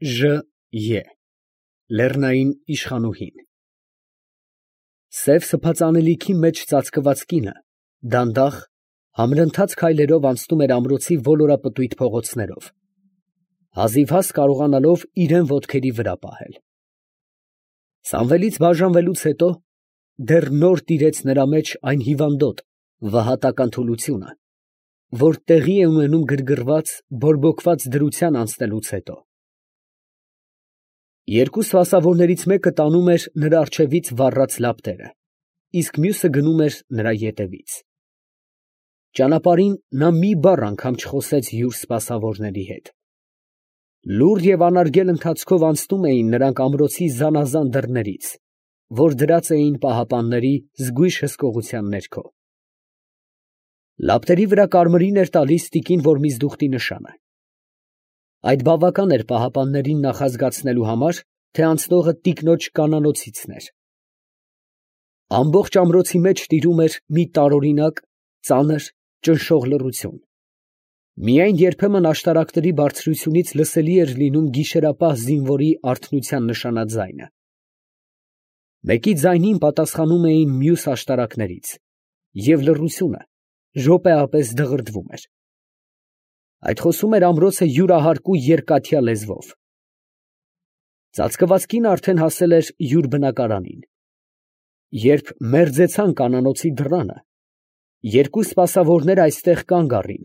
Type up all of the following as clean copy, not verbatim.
Ժ. Լեռնային իշխանուհին։ Սև սփածանելիքի մեջ ծածկված կինը դանդաղ, համրընթաց քայլերով անցնում էր ամրոցի ոլորապտույտ փողոցներով, հազիվհազ կարողանալով իրան ոտքերի վրա պահել։ Սամվելից բաժանվելուց հետո դեռ նոր տիրեց նրա մեջ այն հիվանդոտ, վհատական թուլությունը, որ տեղի է ունենում գրգռված, բորբոքված դրության անցնելուց հետո։ Երկու սպասավորներից մեկը տանում էր նրա առջևից վառած լապտերը, իսկ մյուսը գնում էր նրա ետևից։ Ճանապարհին նա մի բառ անգամ չխոսեց յուր սպասավորների հետ։ Լուռ և անարգել ընթացքով անցնում էին նրանք ամրոցի զանազան դռներից, որ դրած էին պահապանների զգույշ հսկողության ներքո։ Լապտերի վրա կարմիրին էր տալիս տիկին Որմիզդուխտի նշանը։ Այդ բավական էր պահապաններին նախազգացնելու համար, թե անցնողը տիկնոջ կանանոցիցն էր։ Ամբողջ ամրոցի մեջ տիրում էր մի տարօրինակ, ծանր, ճնշող լռություն։ Միայն երբեմն աշտարակների բարձրությունից լսելի էր լինում գիշերապահ զինվորի արթնության նշանաձայնը։ Մեկի ձայնին պատասխանում էին մյուս աշտարակներից, և լռությունը րոպեապես դղրդվում էր։ Այդ խոսում էր ամրոցը յուրահարկու երկաթյա լեզվով։ Ծածկված կինը արդեն հասել էր յուր բնակարանին։ Երբ մերձեցան կանանոցի դռանը, երկու սպասավորներ այստեղ կանգ առին,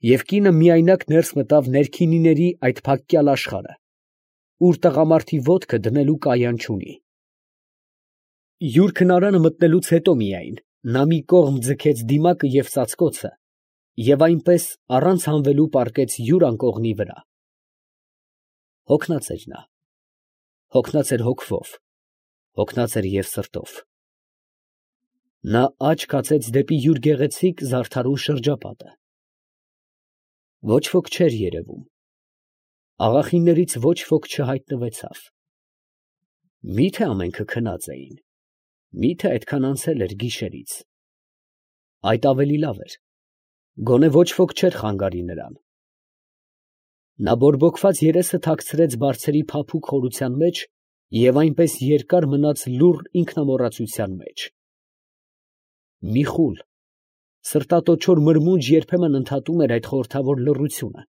և կինը միայնակ ներս մտավ ներքինիների այդ փակյալ աշխարհը, ուր տղամարդի ոտքը դնելու կայան չունի։ Յուր քնարանը մտնելուց հետո միայն նա մի կողմ ձգեց դիմակը և ծածկոցը և այնպես առանց հանվելու պառկեց յուր անկողնի վրա։ Հոգնած էր նա, հոգնած էր հոգվով, հոգնած էր և սրտով։ Նա աջ կացեց դեպի յուր գեղեցիկ զարդարուն շրջապատը։ Ոչ ոք չէր երևում, աղախիններից ոչ ոք չհայտնվեցավ։ Մի՞թե ամենքը քնած էին, մի՞թե այդքան անցել էր գիշերից։ Այդ ավելի լավ էր, գոնե ոչ ոք չէր խանգարի նրան։ Նա բորբոքված երեսը թաքցրեց բարձերի փափուկ խորության մեջ և այնպես երկար մնաց լուռ ինքնամոռացության մեջ։ Մի խուլ, սրտատոչոր մրմունջ երբեմն ընդհատում էր այդ խորհրդավոր լռությունը,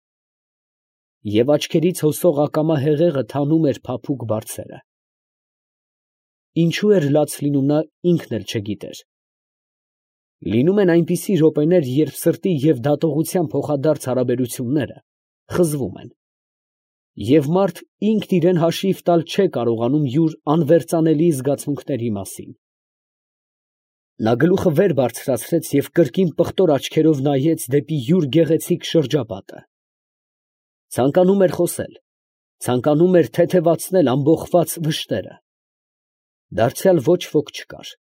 և աչքերից հոսող ակամա հեղեղը թանում էր փափուկ բարձերը։ Ինչու էր լաց լինում, նա ինքն էլ չգիտեր։ Լինում են այնպիսի րոպեներ, երբ սրտի և դատողության փոխադարձ հարաբերությունները խզվում են, և մարդ ինքն իրան հաշիվ տալ չէ կարողանում յուր անվերջանելի զգացմունքների մասին։ Նա գլուխը վեր բարձրացրեց և կրկին պղտոր աչքերով նայեց դեպի յուր գեղեցիկ շրջապատը։ Ցանկանում էր խոսել, ցանկանում էր թեթևացնել ամբոխված վշտերը։ Դարձյալ ոչ ոք չկար։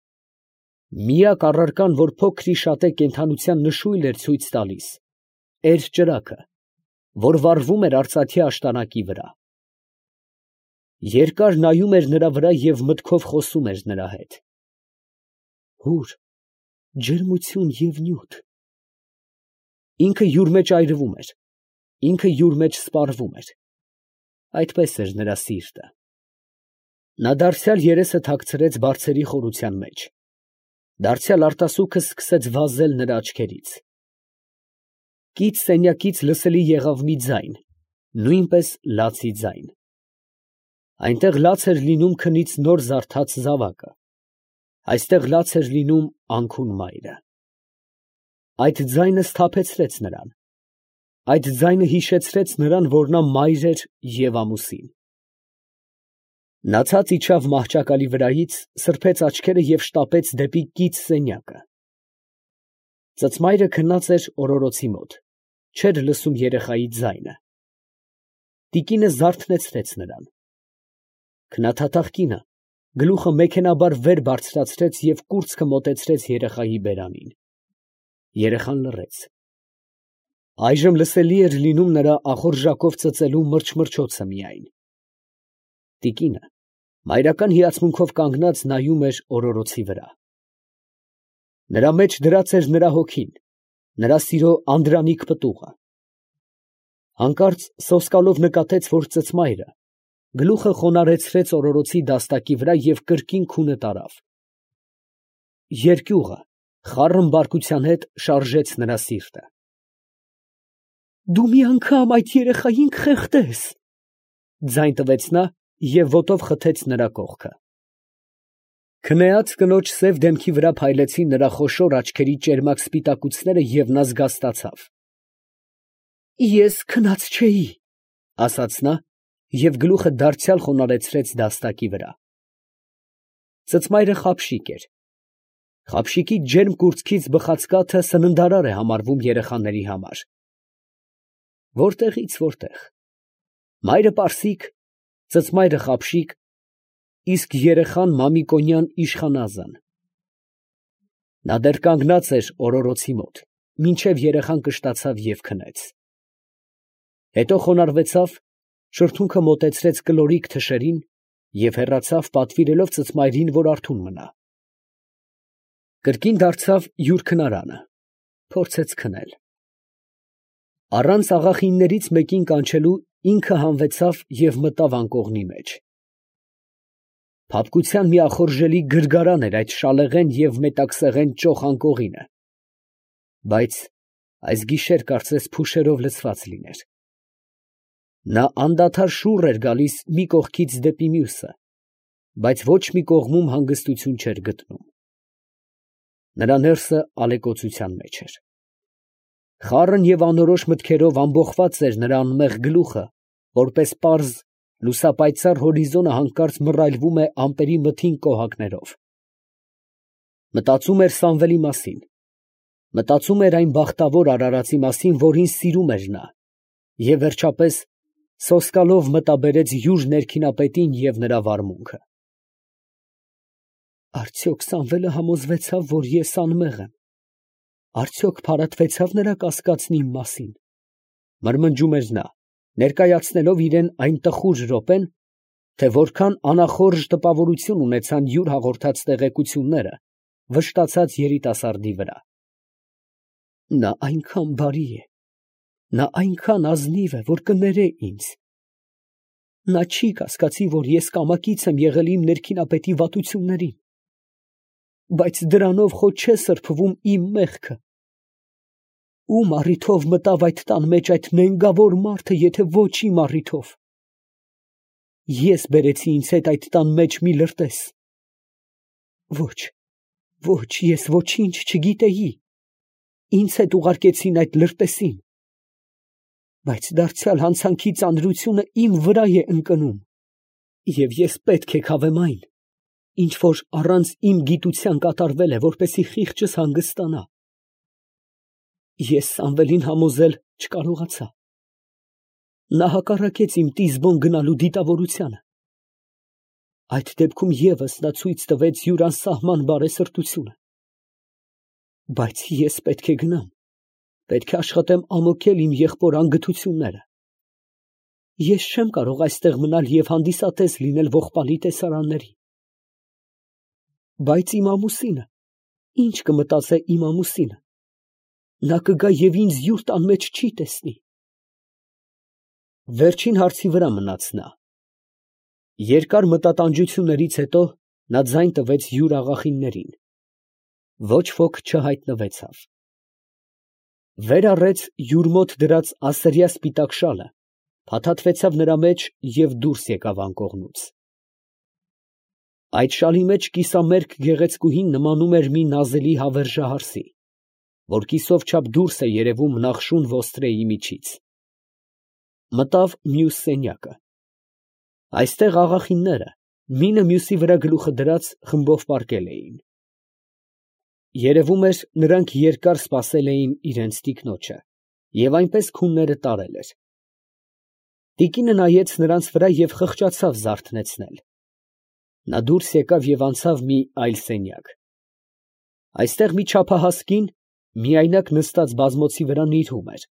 Միակ առարկան, որ փոքր-ի-շատե կենդանության նշույլ էր ցույց տալիս, էր ճրագը, որ վառվում էր արծաթյա աշտանակի վրա։ Երկար նայում էր նրա վրա և մտքով խոսում էր նրա հետ. «Հուր, ջերմություն և նյութ»։ Ինքը յուր մեջ այրվում էր, ինքը յուր մեջ սպառվում էր։ Այդպես էր նրա սիրտը։ Նա դարձյալ երեսը թաքցրեց բարձերի խորության մեջ։ Դարձյալ արտասուքը սկսեց վազել նրա աչքերից։ Կից սենյակից լսելի եղավ մի ձայն, նույնպես լացի ձայն։ Այնտեղ լաց էր լինում քնից նոր զարթած զավակը, այստեղ լաց էր լինում անքուն մայրը։ Այդ ձայնը սթափեցրեց նրան, այդ ձայնը հիշեցրեց նրան, որ նա մայր էր և ամուսին։ Նա ցած իջավ մահճակալի վրայից, սրբեց աչքերը և շտապեց դեպի կից սենյակը։ Ծծմայրը քնած էր օրորոցի մոտ, չէր լսում երեխայի ձայնը։ Տիկինը զարթնեցրեց նրան։ Քնաթաթախ կինը գլուխը մեքենայաբար վեր բարձրացրեց և կուրծքը մոտեցրեց երեխայի բերանին։ Երեխան լռեց։ Այժմ լսելի էր լինում նրա ախորժակով ծծելու մրչմրչոցը միայն։ Տիկինը մայրական հիացմունքով կանգնած նայում էր օրորոցի վրա։ Նրա մեջ դրած էր նրա հոգին, նրա սիրո անդրանիկ պտուղը։ Հանկարծ սոսկալով նկատեց, որ ծծմայրը գլուխը խոնարհեցրեց օրորոցի դաստակի վրա և կրկին քունը տարավ։ Երկյուղը խառն բարկության հետ շարժեց նրա սիրտը։ «Դու մի անգամ այդ երեխային կխեղդես», ձայն տվեց նա և ոտով խթեց նրա կողքը։ Քնեած կնոջ սև դեմքի վրա փայլեցին նրա խոշոր աչքերի ճերմակ սպիտակուցները, և նա զգաստացավ։ «Ես քնած չէի», ասաց նա և գլուխը դարձյալ խոնարհեցրեց դաստակի վրա։ Ծծմայրը խաբշիկ էր։ Խաբշիկի ջերմ կուրծքից բխած կաթը սննդարար է համարվում երեխաների համար։ Որտեղից որտեղ. մայրը պարսիկ, ծծմայրը խաբշիկ, իսկ երեխան մամիկոնյան իշխանազան։ Նա դեռ կանգնած էր օրորոցի մոտ, մինչև երեխան կշտացավ և քնեց։ Հետո խոնարհվեցավ, շրթունքը մոտեցրեց կլորիկ թշերին և հեռացավ, պատվիրելով ծծմայրին, որ արթուն մնա։ Կրկին դարձավ յուր քնարանը, փորձեց քնել։ Առանց աղախիններից մեկին կանչելու ինքը հանվեցավ և մտավ անկողնի մեջ։ Փափկության մի ախորժելի գրգարան էր այդ շալեղեն և մետաքսեղեն ճոխ անկողինը, բայց այս գիշեր կարծես փուշերով լցված լիներ։ Նա անդադար շուռ էր գալիս մի կողքից դեպի մյուսը, բայց ոչ մի կողմում հանգստություն չէր գտնում։ Նրա ներսը ալեկոծության մեջ էր։ Խառն և անորոշ մտքերով ամբոխված էր նրա անմեղ գլուխը, որպես պարզ, լուսապայծառ հորիզոնը հանկարծ մռայլվում է ամպերի մթին կոհակներով։ Մտածում էր Սամվելի մասին, մտածում էր այն բախտավոր արարածի մասին, որին սիրում էր նա, և վերջապես սոսկալով մտաբերեց յուր ներքինապետին և նրա վարմունքը։ Արդյոք Սամվելը համոզվեցավ, որ ես անմեղ եմ, արդյոք փարատվեցավ նրա կասկածն իմ մասին, մրմնջում էր նա, ներկայացնելով իրան այն տխուր րոպեն, թե որքան անախորժ տպավորություն ունեցան յուր հաղորդած տեղեկությունները վշտացած երիտասարդի վրա։ Նա այնքան բարի է, նա այնքան ազնիվ է, որ կներե ինձ։ Նա չի կասկածի, որ ես կամակից եմ եղել իմ ներքինապետի վատություններին, բայց դրանով խո չէ սրբվում իմ մեղքը։ Ում առիթով մտավ այդ տան մեջ այդ նենգավոր մարդը, եթե ոչ իմ առիթով։ Ես բերեցի ինձ հետ այդ տան մեջ մի լրտես։ Ոչ, ոչ, ես ոչինչ չգիտեի, ինձ հետ ուղարկեցին այդ լրտեսին, բայց դարձյալ հանցանքի ծանրությունը իմ վրա է ընկնում, և ես պետք է քավեմ այն, ինչ որ առանց իմ գիտության կատարվել է, որպեսզի խիղճս հանգստանա։ Ես Սամվելին համոզել չկարողացա։ Նա հակառակեց իմ Տիզբոն գնալու դիտավորությանը։ Այդ դեպքում ևս նա ցույց տվեց յուր անսահման բարեսրտությունը։ Բայց ես պետք է գնամ, պետք է աշխատեմ ամոթել իմ եղբոր անգթությունները։ Ես չեմ կարող այստեղ մնալ և հանդիսատես լինել ողբալի տեսարանների։ Բայց իմ ամուսինը, ինչ կմտածե իմ ամուսինը, նա կգա և ինձ յուր տան մեջ չի տեսնի։ Վերջին հարցի վրա մնաց նա։ Երկար մտատանջություններից հետո նա ձայն տվեց յուր աղախիններին։ Ոչ ոք չհայտնվեցավ։ Վեր առեց յուր մոտ դրած ասրյա սպիտակ շալը, փաթաթվեցավ նրա մեջ և դուրս եկավ անկողնուց։ Այդ շալի մեջ կիսամերկ գեղեցկուհին նմանում էր մի նազելի հավերժահարսի, որ կիսով չափ դուրս է երևում նախշուն ոստրեի միջից։ Մտավ մյուս սենյակը։ Այստեղ աղախինները, մինը մյուսի վրա գլուխը դրած, խմբով պառկել էին։ Երևում էր, նրանք երկար սպասել էին իրենց տիկնոջը և այնպես քունները տարել էր։ Տիկինը նայեց նրանց վրա և խղճացավ զարթնեցնել։ Նա դուրս եկավ և անցավ մի այլ սենյակ։ Այստեղ մի չափահաս կին միայնակ նստած բազմոցի վրա նիրհում էր։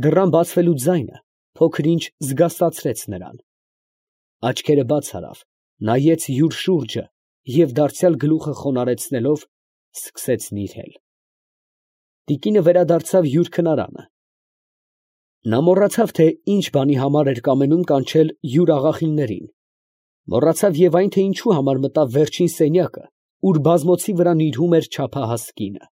Դռան բացվելու ձայնը փոքր ինչ զգաստացրեց նրան։ Աչքերը բաց արավ, նայեց յուր շուրջը և դարձյալ գլուխը խոնարհեցնելով, սկսեց նիրհել։ Տիկինը վերադարձավ յուր քնարանը։ Նա մոռացավ, թե ինչ բանի համար էր կամենում կանչել յուր աղախիններին, մոռացավ և այն, թե ինչու համար մտավ վերջին սենյակը, ուր բազմոցի վրա նիրհում էր չափահաս կինը։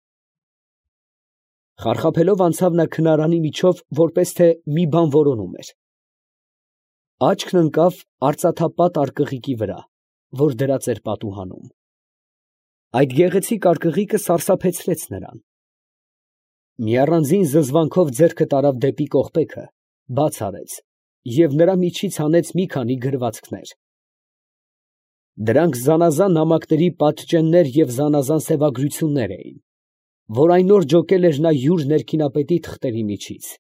Խարխափելով անցավ նա քնարանի միջով, որպես թե մի բան որոնում էր։ Աչքն ընկավ արծաթապատ արկղիկի վրա, որ դրած էր պատուհանում։ Այդ գեղեցիկ արկղիկը սարսափեցրեց նրան։ Մի առանձին զզվանքով ձեռքը տարավ դեպի կողպեքը, բաց արեց և նրա միջից հանեց մի քանի գրվածքներ։ Դրանք զանազան նամակների պատճեններ և զանազան սևագրություններ էին, որ այն օր ջոկել էր նա յուր ներքինապետի թղթերի միջից։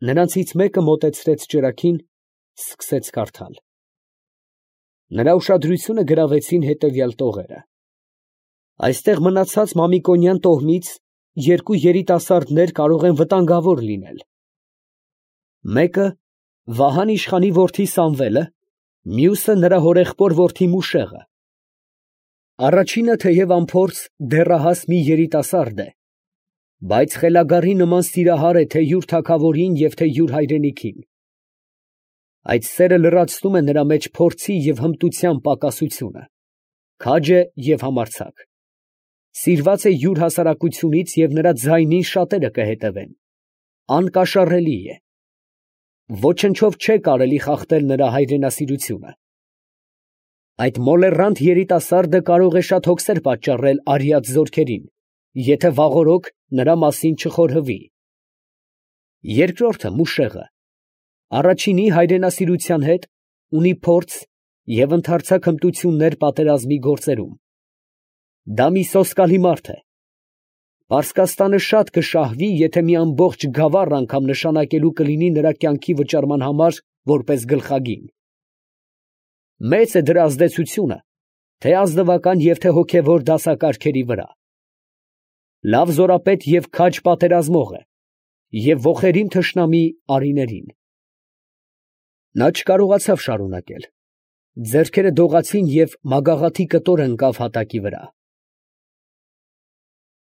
Նրանցից մեկը մոտեցրեց ճրագին, սկսեց կարդալ։ Նրա ուշադրությունը գրավեցին հետևյալ տողերը. «Այստեղ մնացած Մամիկոնյան տոհմից երկու երիտասարդներ կարող են վտանգավոր լինել. մեկը Վահան իշխանի որդի Սամվելը, մյուսը նրա հորեղբոր որդի Մուշեղը։ Առաջինը թեև անփորձ դեռահաս մի երիտասարդ է, բայց խելագարի նման սիրահար է թե յուր թագավորին և թե յուր հայրենիքին։ Այդ սերը լրացնում է նրա մեջ փորձի և հմտության պակասությունը, քաջ է և համարձակ։ Սիրված է յուր հասարակությունից և նրա ձայնին շատերը կհետևեն, անկաշառելի է։ Ոչնչով չէ կարելի խախտել նրա հայրենասիրությունը։ Այդ մոլեռանդ երիտասարդը կարող է շատ հոգսեր պատճառել արիած զորքերին, եթե վաղօրոք նրա մասին չխորհվի։ Երկրորդը Մուշեղը առաջինի հայրենասիրության հետ ունի փորձ և ընդարձակ հմտություններ պատերազմի գործերում։ Դա մի սոսկալի մարդ է։ Պարսկաստանը շատ կշահվի, եթե մի ամբողջ գավառ անգամ նշանակելու կլինի նրա կյանքի վճարման համար որպես գլխագին։ Մեծ է դրա ազդեցությունը թե ազնվական և թե հոգևոր դասակարգերի վրա։ Լավ զորապետ և քաջ պատերազմող է և ոխերիմ թշնամի արիներին։ Նա չկարողացավ շարունակել, ձեռքերը դողացին և մագաղաթի կտոր ընկավ հատակի վրա։